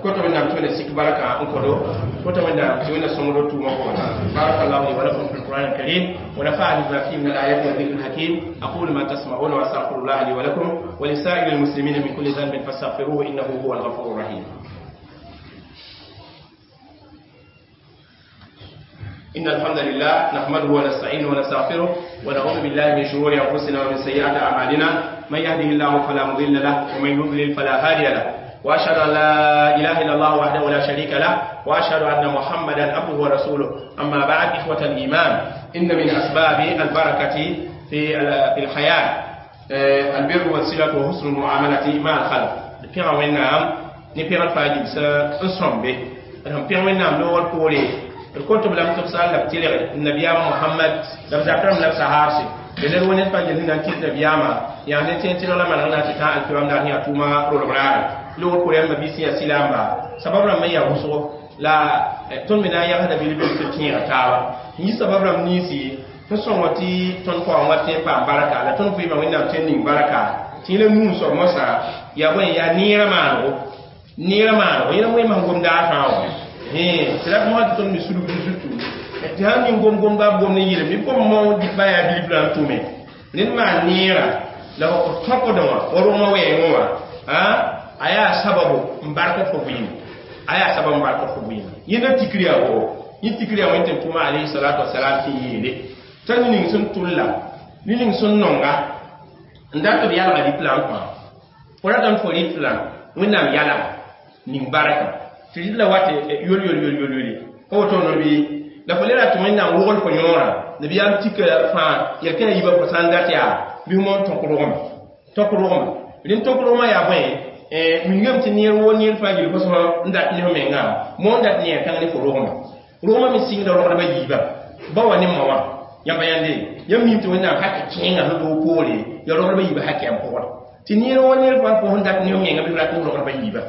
[SPEAKER 1] kota Wẽnnaam tɩ Wẽnna sik barka n kõdo kota Wẽnnaam tɩ Wẽnna sõngdo tʋʋmã pʋgẽ. بارك الله لي ولكم في القرآن الكريم ونفعني بما فيه من الآيات والذكر الحكيم. أقول ما تسمعون وأستغفر الله لي ولكم ولسائر المسلمين من كل ذنب فاستغفروه إنه هو الغفور الرحيم. إن الحمد لله نحمده ونستعينه ونستغفره ونعوذ بالله من شرور أنفسنا ومن سيئات أعمالنا، من يهده الله فلا مضل له ومن يضلل فلا هادي له، وأشهد أن لا إله إلا الله وحده لا شريك له، وأشهد أن محمدا عبده ورسوله. أما بعد، إخوة الإيمان، إن من أسباب البركة في الحياة البر والصلة وحسن المعاملة مع الخلق. بيغا وينام ني بيغا فاجي س نصومبي بيغا وينام لو بوري الكتب لم تفصل لم تلغي النبي محمد لم ذكرم لم سهارسي لأن ونت فجل نانتي النبي ما يعني تنتي لا ما نانا تتا الكرام دانيا توما رولغرار لو كوريان ما بيسي سلام سبب لما يا وسو لا تون منا يا هذا بيلي بيلي تين تاوا ni sabab ram nisi n sõngo tɩ tõnd kaoong wa tẽ n paam barka la tõnd vɩɩmã wẽnnaam tẽ n ning barka tɩ la nuu soab mosã yaa bõe yaa neerã maanego neerã maanego yẽla wẽmã sẽn gomda a fãa wã tɩ la mosã tɩ tõnd me sulgd zutu tɩ sãn ning gom-gomba b gom ne yɩlem bɩ gom mo dɩk ba yaa bilf la n tʋme ned maan neerã la f tõkdẽ wã wa rogmã wɛɛngẽ wã a yaa sababu n bark fo vɩɩm a yaa sabab n bark fo vɩɩm yẽnda tikr yaa woo yẽ tikr yaa wẽn tɩ n tʋma alayhi salatu wasalam tɩ yeele t'a ning sẽn tʋlla ning sẽn nonga n dat b yalga rɩt la n kõ fo ratame fo rɩt la wẽnnaam yalga ning barka tɩ rɩt la wat yol yol yol yol yole ka woto no bɩ la fo le rat wẽnnaam wogl fo yõorã nabiyaam tika fãa yel-kẽna yiibã fo sã n dat yaa bɩ f moon tõk rogma tõk rogma rẽnd tõk rogmã yaa bõe mingame tɩ neer woo neer fãa gil fo sõma n dat ne fo mengã moon dat neer kãng ne fo rogma rogmã me sɩngda rogdbã yiibã ba wa ne ma wã yãmba yãnde yãmb mim tɩ wẽnnaam haka kẽengã sẽn doog poore ya rogdbã yiibã haka yam pʋgd tɩ neer woo neer fãa fo sẽn dat ne fo menga bɩ f rat ne rogdbã yiibã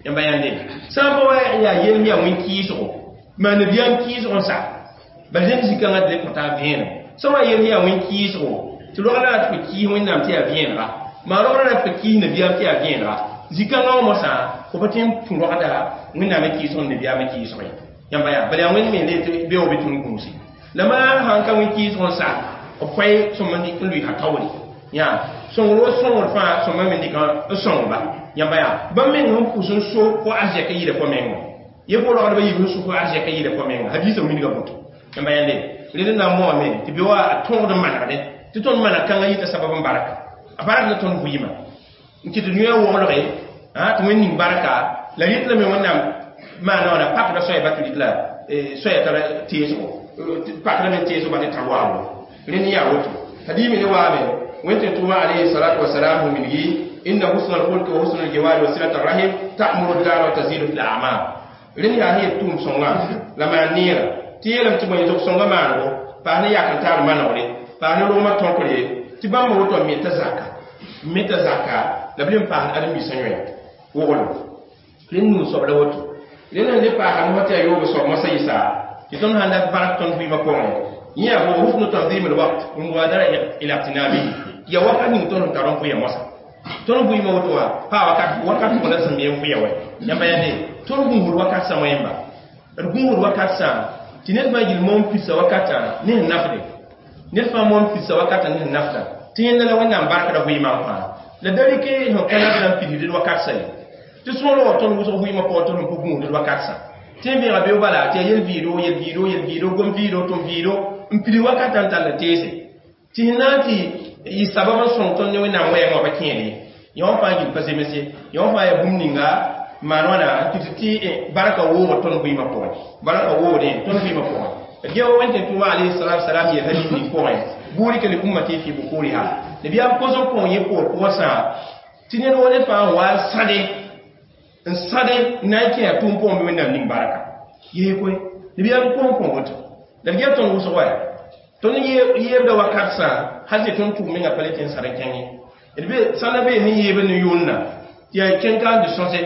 [SPEAKER 1] yãmba yãnde sã n pa wa yaa yelm yaa wẽn kɩɩsgo maa nabiyaam kɩɩsg n sa bal rẽnd zĩ-kãngã tɩ le kõta a vẽenem sã wa yel yaa wẽn kɩɩsgo tɩ rogdã rat fo kɩɩs wẽnnaam tɩ yaa vẽenega maa rogdã rat fo kɩɩs nabiyaam tɩ yaa vẽenega zĩ-kãngã wã mosã fo pa tõe n pũ rogda wẽnnaamã kɩɩsg n nabiyaamã kɩɩsg ye yãmba yaa bala yaa wẽnd me le tɩ beoog bɩ tõnd gũuse la maa sãn ka wẽn kɩɩsg n sa b koɛ sõma n lʋɩsa taoore yaa sõngr wo sõngr fãa sõma me dɩk n sõngba yãmba yaa bãmb meng sẽn pʋs n so fo arzɛk n yɩɩda fo menga ye fo rogdbã yiib sẽn so fo arzɛk n yɩɩda fo menga hadiisã wilga boto yãmba yãnde rẽnd n na n moame tɩ be wa a tõogd n manegdẽ tɩ tõnd maneg kãngã yɩta sabab n barka a bark la tõnd vɩɩmã n kɩt yõ woglge tɩ wẽnd ning barka la rɩt lame wẽnnaam maana wãna pakda soaya ba tɩ rɩt la soaya tara teesgo pakda me teesgo ba tɩ tar waabo rẽnd yaa woto hadiime ne waame wẽn tɩ tʋʋma alayhi salatu wasalam mingi inna husna alkhulqi wa husna aljiwari wa silata rahim ta'muru ad-dar wa tazidu fil a'mal rẽnd yaa sẽn yet tʋʋm sõnga la maan neera tɩ yeelame tɩ bõe zog-sõnga maanego paas ne yak n taar manegre paas ne rogmã tõkre tɩ bãmba woto n meta zaka la b le n paasd ãdem-biisã yõe woglem rẽnd nuu soab la woto rẽnd sẽn le paasa mosã tɩ yaa yoogo soab mosã yɩsa tɩ tõnd sãn dat bark tõnd vɩɩmã pʋgẽ yẽ yaa bo husnu tanzim alwaqt wa mubadara ila iqtinabihi ya wakat ning tõnd sẽn tar n vʋɩa mosã tõnd vɩɩmã woto wã paa wakat wakat pʋgã la sẽn me n vʋɩa wɛ yãmba yãnde tõnd gũusd wakat sã wẽmba d gũusd wakat sã tɩ ned fãa gil moon pidsa wakatã ne sẽn nafde ned fãa moon pidsa wakatã ne sẽn nafda tɩ yẽnda la wẽnnaam barkda vɩɩmã n fãa la da rɩke sẽn ka nafda n pidsd wakat sã ye tɩ sõor wa tõnd wʋsg vɩɩmã pʋgã tõnd sẽn pa gũusd wakat sã tɩ n vẽega beo bala tɩ yaa yel-vɩɩdo yel-vɩɩdo yel-vɩɩdo gom-vɩɩdo tʋm vɩɩdo n pid wakatã n tall teese tɩ sẽn na n tɩ yɩ sabab n sõng tõnd ne wẽnnaam wɛɛngã wã pa kẽede ye yã wã fãa gil pa zemse yã wã fãa yaa bũmb ninga maan wãna n kɩt tɩ barka woogd tõnd vɩɩmã pʋgẽ barka woogdẽ tõnd vɩɩmã pʋgẽ d gea wa wẽn tɩ tʋʋma alayhi salatu wasalam yel hadis ning pʋgẽ burika li ummati fi bukuriha nabiyaam kos n kõ yẽ poor pʋgã sã tɩ ned wa ned fãa n wa n sãde n sãde n na n kẽ a tʋʋm pʋgẽ bɩ wẽnnaam ning barka yee koe nabiyaam kos n kõ woto la d gea tõnd wʋsg wa tõnd yeebda wakat sã hal tɩ tõnd tʋg menga pa le tɩ n sãd n kẽng ye d be sãnda bee sẽn yeeb ne yʋʋnna tɩ yaa kẽn-ka n tɩ sõse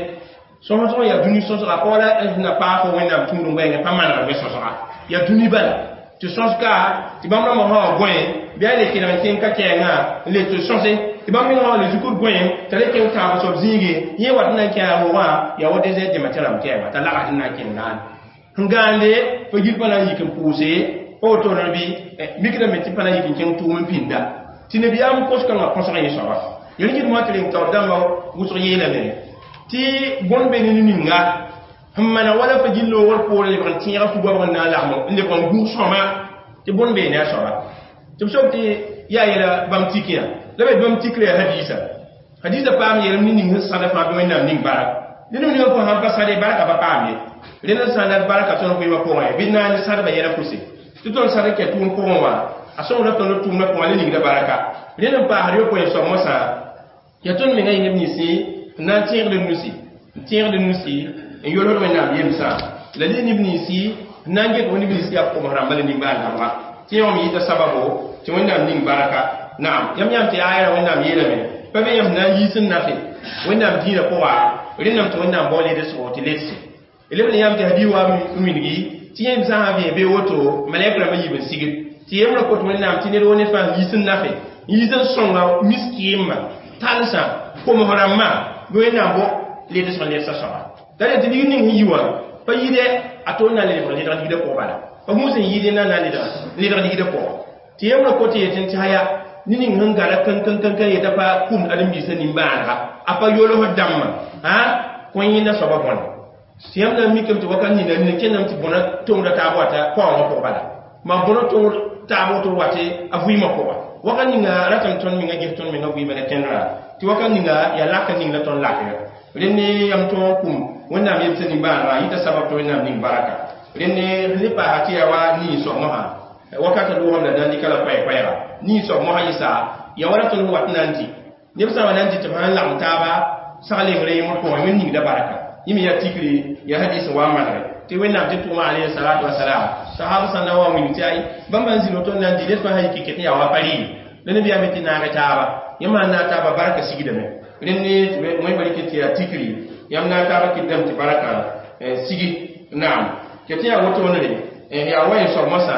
[SPEAKER 1] sõsg yaa dũni sõsga pa wala na paag fo wẽnnaam tũud n wɛɛngẽ pa manegd wẽ sõsga yaa dũni bala tɩ sõska tɩ bãmb rãmbã sã wa gõe bɩ a le kelg n kẽng ka kɛɛngã n le tɩ sõse tɩ bãmb mengã wa le zukud gõe t'a le kẽng tãab soab zĩige yẽ wat n na n kẽ a rogã yaa wa désert dẽmã tɩ rãmb kɛɛngã t'a lags n na n kẽng gaande sẽn gaande fo gil pa na n yik n pʋʋse pa woto bɩ mikdame tɩ pa na n yik n kẽng tʋʋm n pĩnda tɩ nabiyaam kos-kãngã kõsg yẽ soaba yel kɩt moã tɩ reng taoor dãmbã wʋsg yeelame tɩ bõn be ne ninga sẽn mana wala fa gil loogr poore lebg n tẽega fugoabg n na n lagm n lebg n gũus sõma tɩ bõn bee ne a soaba tɩ b soab tɩ yaa yɛla bãmb tikẽ la be bãmb tikre yaa hadiisa hadiisa paam yeelem ne ning sẽn sãda fãa bɩ wẽnnaam ning barak ned ninga fo sãn pa sãde barka pa paam ye rẽnd n sãn dat barka tõnd vɩɩmã pʋgẽ bɩ naane sãdbã yɛla pʋse tɩ tõnd sãd n kɛ tʋʋm pʋgẽ wã a sõngda tõnd tʋʋmdã pʋgã le ningda baraka rẽnd n paasd yopoe soab mosã yaa tõnd menga yẽ neb ninsi n na n tẽegd nusi n tẽegd nusi n yolsd wẽnnaam yemsã la le neb ninsi Nan get woni bilis ya ko rãmba la nimbãan-dãmba tɩ yã wã yɩta sababo tɩ Wẽnnaam ning baraka. Naam, yãmb yãmb tɩ aya Wẽnnaam yeelame pa be yãmb na n yiis n nafe Wẽnnaam dĩinã pʋga, rẽnname tɩ Wẽnnaam bao ledsgo tɩ ledse leb ne yãmb tɩ hadi wa n wilgi tɩ yẽm sã n vẽ bee woto malɛk rãmbã yiib n sigd tɩ yembrã kot Wẽnnaam tɩ ned wo ned fãa yiis n nafe, yiis n sõnga miskɩɩmã, talsã, koms rãmbã bɩ Wẽnnaam bo ledsg n ledsa soaba. La tɩ ligd ning sẽn yi wã pa yɩɩdɛ a to n na n lebg ledg ligdã pʋgã, bala pa gũus n yɩɩd na n ledg ligdã pʋgã. Tɩ yembrã kot yetɩ tɩ haya ne ning sẽn gada kãn-kãn-kãn yeta pa kũmd ãdem-biisã nimbãanega, a pa yolsd dãmbã a kõ yẽnda soaba bõne. Tɩ yãmb na n mikame tɩ wakat nina nina kẽndame tɩ bõna tongda taab wata paoongã pʋgã, bala mam bõna tongd taab woto wate a vɩɩmã pʋga. Wakat ninga ratame tõnd menga ges tõnd menga vɩɩmã la tẽndrã tɩ wakat ninga yaa lak ning la tõnd lakra rẽnd yam tõog kũm Wẽnnaam yemsã nimbãanega yɩta sabab tɩ Wẽnnaam ning baraka. Rẽnd ne paasa tɩ yaa wa nin-soab mosã wakatã loogame la na n dɩka la koɛɛ-koɛɛga nin-soab mosã yɩsa ya wala tõnd wat na n dɩ neb sã n wa na n dɩ tɩ b sãn lagem taaba sag lembre yẽmd pʋgẽ, Wẽnd ningda baraka. Yẽ me yaa tikre, yaa hadis n wa n manegre tɩ Wẽnnaam tɩ tʋʋma alayhi salatu wasalam sahab sã na wa n wilg tɩ ay bãmb n zĩ woto n na n dɩ ned fãa sã yik ket n yaa wa pa rɩɩ la nabiyaam tɩ naag taaba yãmb sãn naag taaba barka sigdame. Rẽnd wẽn ba rɩk tɩ yaa tikri yãmb naag taaba kɩtdame tɩ barka sigi. Naam, ket yaa wotone yaa wa yẽ soab mosã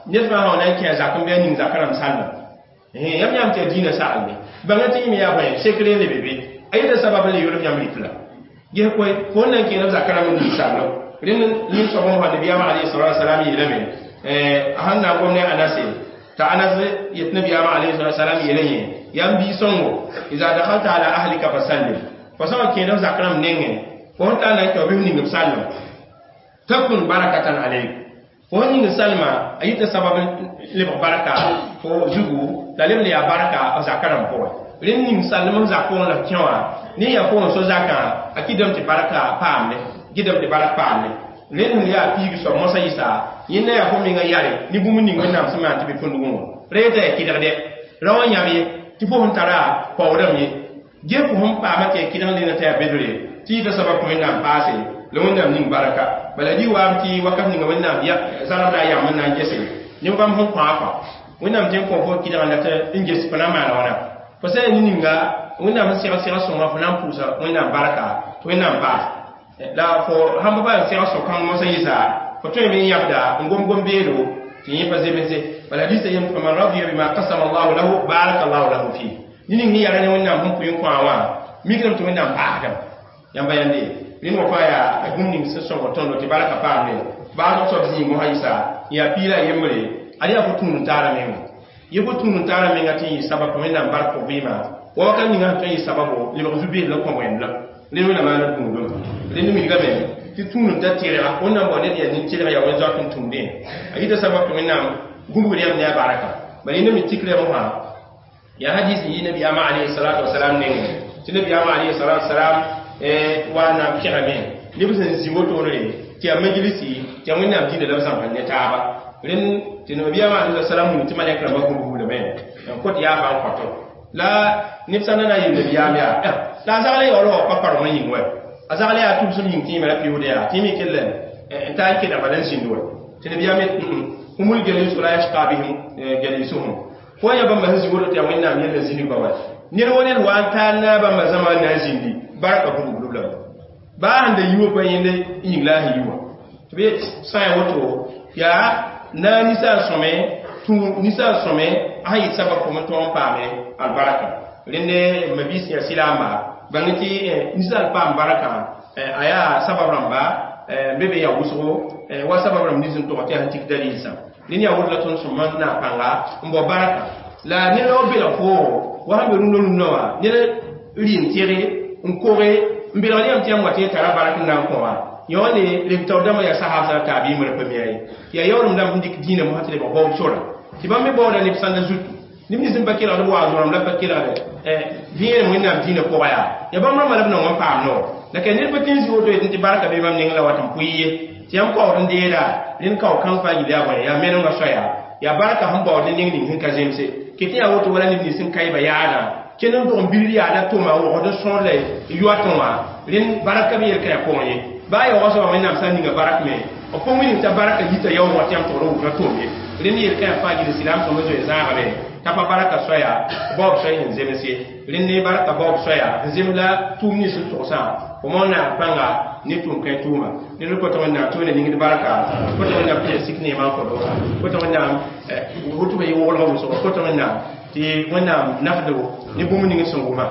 [SPEAKER 1] ned fãa sã wa na n kẽ a zak n bɩ a ning zak rãmb salma. Yãmb yãmb tɩ yaa dĩinã saglme bãnga tɩ yẽ me yaa bõe sekre n lebe be a yeta sabab n le yolg yãmb rɩk la ges koe fo n na n kẽeda b zak rãmb n ning sallo. Rẽnd nin-soab mosã nabiyaamã alayhi salatu wasalam yeelame a sẽn na n gom ne Anase t'a Anas yet nabiyaamã alayhi salatu wasalam yeela yẽ yaa n bii-sõngo iza dakhalta ala ahlika fasallim, fo sã wa kẽeda f zak rãmb nengẽ, fo sẽn tar na n kẽ bɩ f ning b salma takun barakatan alayk, fo sẽn ning salma a yita sabab lebg baraka fo zugu la leb le yaa baraka f zaka rãmb pʋgẽ. Rẽnd ning salm f zak pʋgẽ la f kẽ wã ne yaa pʋgẽ so zakã a kɩdame tɩ barka paamne, gɩdame tɩ bark paamne. Rẽnd sẽn yaa piig soab mosã yɩsa yẽnda yaa fo menga yare ne bũmb ning Wẽnnaam sẽn maan tɩ be tõndgẽ wã ra yeta yaa kɩdgdɛ ra wã yãb ye tɩ fo sẽn tara paoodame ye ge fo sẽn paama tɩ yaa kɩdg lena tɩ yaa bedre tɩ yɩta sabab tɩ Wẽnnaam paase la Wẽnnaam ning baraka. Bala dɩ waam tɩ wakat ninga Wẽnnaam zarb la a yam n na n gese neb bãmb sẽn kõ a kõ Wẽnnaam tɩ n kõ fo kɩdg la tɩ n ges fo na n maan wãna fo sã yaa ne-ninga Wẽnnaam sẽn seg seg sõnga fo na n pʋʋsa Wẽnnaam barka tɩ Wẽnnaam paas la fo sãn pa n seg so-kãng mosã yɩsa fo tõeme n yãbda n gom-gom beedo tɩ yẽ pa zemse. Bala hadisa yem faman radiya bima qasama Allahu lahu baraka Allahu lahu fi ne ning sẽn yara ne Wẽnnaam sẽn pʋɩ n kõ a wã mikdame tɩ Wẽnnaam paasdame yãmba yãnde. Rẽnd wã fãa yaa bũmb ning sẽn sõng tõndo tɩ barka paamne baasg soab zĩig mosã yɩsa yaa piila yembre ad yaa fo tũud n taara menga ye fo tũud n taara menga tɩ n yɩ sabab tɩ Wẽnnaam bark fo vɩɩmã wa wakat ninga sẽn tõe n yɩ sababo lebg zu-beed la kõ wẽnd la rẽnd Wẽnnaam maana gũudum. Rẽnd wilgame tɩ tũud n ta tɩrga Wẽnnaam bao ned yaa nin-tɩrg yaa wẽn-zoat n tũudẽ a yita sabab tɩ Wẽnnaam gũbgd yãmb ne a baraka. Bala yẽnda me tikr mosã yaa hadis n yi nabiyaamã alayhi salatu wasalam nengẽ tɩ nabiyaamã alayhi salatu wasalam wa na n pɛgame neb sẽn zĩ wotone tɩ yaa majlisi tɩ yaa Wẽnnaam dĩinã la b zãmsd ne taaba. Rẽnd tɩ nabiyaamã alayhi salam wilg tɩ malɛk rãmbã gũbgblame n kot yaafã n kõto la neb sã na na n yeel nabiyaam yaa la a zagl yaool wa pa parem n yĩng wɛ a zagl yaa tʋbsem yĩng tɩ yẽme ra pɩʋʋd yaa tɩ yẽ me kell n taa n kelg bala n zĩnd wɛ tɩ nabiyaam yet humul jalisu la yashqa bihim jalisuhum fo yã bãmba sẽn zĩ woto tɩ yaa Wẽnnaam yell n zĩnig ba wa ned wo ned wa n taa na bãmba zãma n na n zĩndi barka gũbglb lame baa sẽn da yi wa pa yẽnd yĩng la a sẽn yi wã tɩ b sã n woto yaa na ninsal sõme tũ ninsal sõme a sẽn yɩ sabab fo n tõog n paame albarka. Rẽnd mabiis yaa sɩlaamba bãng tɩ ninsal paam barka a yaa sabab rãmba be be yaa wʋsgo wa sabab rãmb nins n tog tɩ yaa sẽn tik dalilsã. Rẽnd yaa woto la tõnd sõma n naag pãnga n bao barka la ned wa belg foo wa sẽn be rũndã rũndã wã ned rɩ n tɩge n koge n belgd yãmb tɩ yãmb wa tɩ y tara bark n na n kõ wã yõone leb taoor dãmbã yaa sahab sã taabiimã ra pa mi ye tɩ yaa yaoolem dãmb sẽn dɩk dĩinã mosã tɩ lebg baoob sora tɩ bãmb me baooda neb sãnda zutu neb nins n pa kelgd b waoog rãmb la pa kelgde vẽenem Wẽnnaam dĩinã pʋga yaa ya bãmb rãmbã la b nong n paam noor la ka ned pa tɩ n zĩ woto yetɩ tɩ barka be bãmb neng la wat n pʋɩ ye tɩ yãmb kaood n deeda rẽnd kao kãng fãa yil yaa bõe yaa menengã soaya yaa barka sẽn baood ne neng ning sẽn ka zemse ket yaa woto wala neb nins sẽn kaɩba yaadã kẽnd n dog n bild yaada tʋma wogd n sõor la yoatẽ wã rẽnd barka be yel-kãyã pʋgẽ ye baa yaoogã soaba Wẽnnaam sã n ninga barak me b pa wilg t'a barka yita yaoog wã tɩ yãmb togr n wʋsã tʋʋm ye rẽnd yel kã fãa gil silaam sõm n zoe zãagame t'a pa barka soaya baoob soay sẽn zems ye rẽnd ne barka baoob soaya n zems la tʋʋm nins n togsã fo moon naag pãnga ne tʋʋm kãe tʋʋma ned kõt wẽnnaam tɩ wẽnna ningd barka kõt wẽnnaam tɩ ya sik neemã n kõdo kõt wẽnnaam woto ba yɩ woglgã wʋsgo kõt wẽnnaam tɩ wẽnnaam nafdo ne bũmb ning sẽn wʋma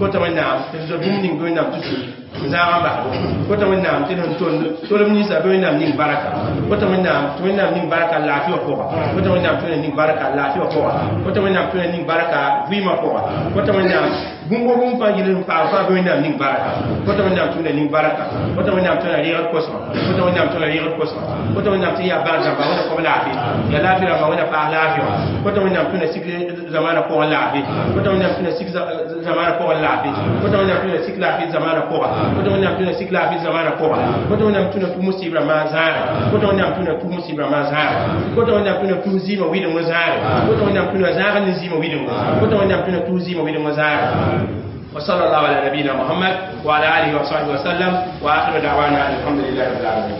[SPEAKER 1] kõt wẽnnaam tɩ d bũmb ning bɩ wẽnnaam tɩ sui n zãag n basbo kõt wẽnnaam tɩ d sẽn tolem ninsã bɩ wẽnnaam ning barka kõt wẽnnaam tɩ wẽnnaam ning barka laafɩ wã pʋga kõt wẽnnaam tɩ wẽnnaam ning barka laafɩ wã pʋga kõt wẽnnaam tɩ wẽnnaam ning barka vɩɩmã pʋga kõt wẽnnaam bũmb bũmb fãa yɩl n paam fãa bɩ wẽnnaam ning barka kõt wẽnnaam tɩ wẽnnaam ning barka kõt wẽnnaam tɩ wẽnnaam reegd kosmã kõt wẽnnaam tɩ wẽnnaam reegd kosmã kõt wẽnnaam tɩ yaa bãad rãmba wẽnna kom laafɩ yaa laafɩ rãmba wẽnna paas laafɩ wã kõt wẽnnaam tɩ wẽnna sik zamaana pʋgẽ laafɩ kõt wẽnnaam tɩ wẽnna sik zamaana pʋgẽ laafɩ kõt wẽnnaam tɩ wẽnna sik laafɩ zamaana pʋga kõt wẽnnaam tɩ wẽnna sik laafɩ zamaana pʋga kõt wẽnnaam tɩ wẽnna tus musib rãmbã zãage kõt wẽnnaam tɩ wẽnna tus musib rãmbã zãage kõt wẽnnaam tɩ wẽnna tus zɩɩmã wɩdengã zãage kõt wẽnnaam tɩ wẽnna zãag ne zɩɩmã wɩdengo kõt wẽnnaam tɩ wẽnna tus zɩɩmã wɩdengã zãage وصلى الله على نبينا محمد وعلى اله وصحبه وسلم واخر دعوانا الحمد لله رب العالمين.